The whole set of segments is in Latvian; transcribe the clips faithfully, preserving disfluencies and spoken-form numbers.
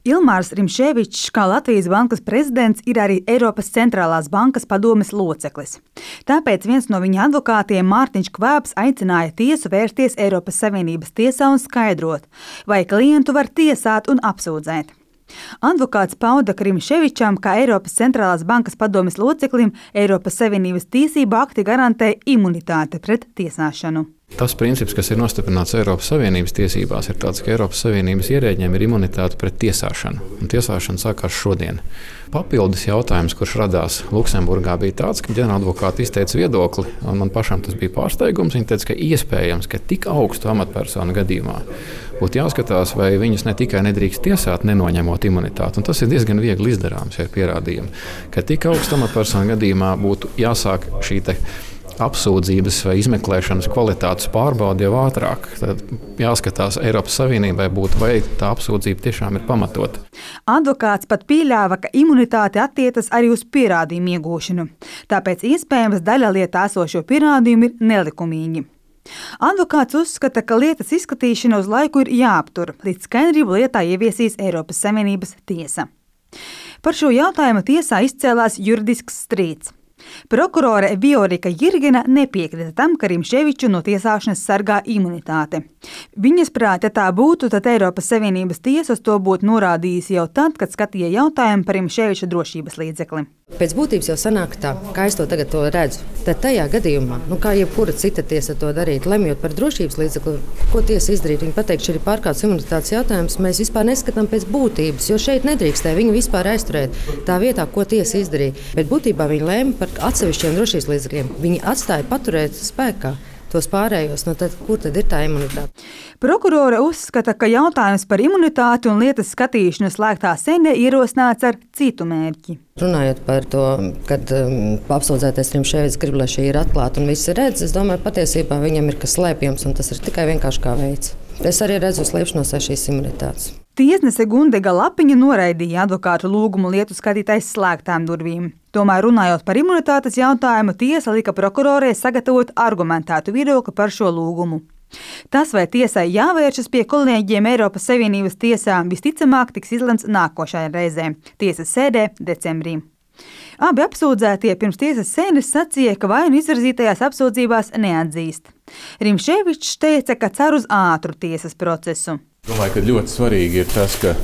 Ilmārs Rimšēvičs, kā Latvijas bankas prezidents, ir arī Eiropas centrālās bankas padomes loceklis. Tāpēc viens no viņa advokātiem, Mārtiņš Kvēbs, aicināja tiesu vērsties Eiropas Savienības tiesā un skaidrot, vai klientu var tiesāt un apsūdzēt. Advokāts pauda, ka Rimšēvičam, kā Eiropas centrālās bankas padomes loceklim, Eiropas Savienības tiesību akti garantē imunitāti pret tiesāšanu. Tas princips, kas ir nostiprināts Eiropas Savienības tiesībās, ir tāds, ka Eiropas Savienības ierēģiem ir imunitāte pret tiesāšanu. Un tiesāšana sākās šodien. Papildus jautājums, kurš radās Luksemburgā, bija tāds, ka ģenerāladvokāti izteica viedokli, un man pašam tas bija pārsteigums. Viņi teica, ka iespējams, ka tik augstu amatpersonu gadījumā būtu jāskatās, vai viņus ne tikai nedrīkst tiesāt, nenoņemot imunitāti. Un tas ir diezgan viegli izdarāms, ja ir pierādījumi, ka tik augstu amatpersonu gadījumā būtu jāsāk šī te apsūdzības vai izmeklēšanas kvalitātes pārbaude jau ātrāk. Tad jāskatās Eiropas Savienībai būtu, vai tā apsūdzība tiešām ir pamatota. Advokāts pat pieļāva, ka imunitāte attiecas arī uz pierādījumu iegūšanu. Tāpēc iespējams daļa lietā esošo pierādījumu ir nelikumīgi. Advokāts uzskata, ka lietas izskatīšana uz laiku ir jāaptur, līdz skaidrību lietā ieviesīs Eiropas Savienības tiesa. Par šo jautājumu tiesā izcēlās juridisks strīds. Prokurore Viorika Jirgena nepiekrita tam, ka Rimšēviču no tiesāšanas sargā imunitāte. Viņas prāt, ja tā būtu, tad Eiropas Savienības tiesa uz to būtu norādījusi jau tad, kad skatīja jautājumu par Rimšēviča drošības līdzekli. Pēc būtības jau sanāk tā, kā es to tagad to redzu. Tad tajā gadījumā, nu kā jebkura cita tiesa to darīt, lemjot par drošības līdzekli, ko tiesa izdarīt, viņi pateikt, šī ir pārkāpts imunitātes jautājums, mēs vispār neskatām pēc būtības, jo šeit nedrīkstē viņu vispār aizturēt tā vietā, ko tiesa izdarīja. Bet būtībā viņi lēma par atsevišķiem drošības līdzekļiem. Viņi atstāja paturēt spēkā tos pārējos, no tad, kur tad ir tā imunitāte? Prokurore uzskata, ka jautājums par imunitāti un lietas skatīšanu slēgtā sēdē ierosināts ar citu mērķi. Runājot par to, kad um, apsūdzētais Rimšēvičs grib, lai šī ir atklāta un visi redz, es domāju, patiesībā viņam ir kas slēpjams, un tas ir tikai vienkārši kā veids. Es arī redzu slēpšanos aiz šīs imunitātes. Tiesnese Gundega Lapiņa noraidīja advokātu lūgumu lietu skatīt aiz slēgtām durvīm. Tomēr runājot par imunitātes jautājumu, tiesa lika prokurorei sagatavot argumentētu viedokli par šo lūgumu. Tas, vai tiesai jāvēršas pie kolēģiem Eiropas Savienības tiesā, visticamāk tiks izlemts nākošajā reizē, tiesas sēdē decembrī. Abi apsūdzētie pirms tiesas sēdes sacīja, ka vainu izvirzītajās apsūdzībās neatzīst. Rimšēvičs teica, ka cer uz ātru tiesas procesu. Domāju, ka ļoti svarīgi ir tas, ka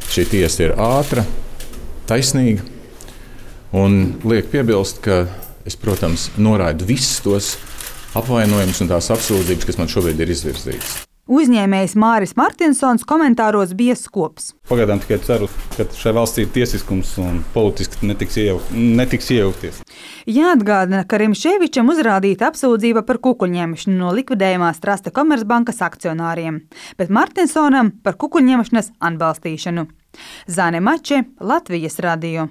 šī tiesa ir ātra, taisnīga un liek piebilst, ka es, protams, noraidu visus tos apvainojumus un tās apsūdzības, kas man šobrīd ir izvirzītas. Uzņēmējs Māris Martinsons komentāros bija skops. Pagaidām tikai ceru, ka šai valstī ir tiesiskums un politiski netiks, iejauk, netiks iejaukties. Jāatgādina, ka Rimšēvičam uzrādīta apsūdzība par kukuļņemšanu no likvidējumās Trasta Komercbankas akcionāriem, bet Martinsonam par kukuļņemšanas atbalstīšanu. Zane Mače, Latvijas radio.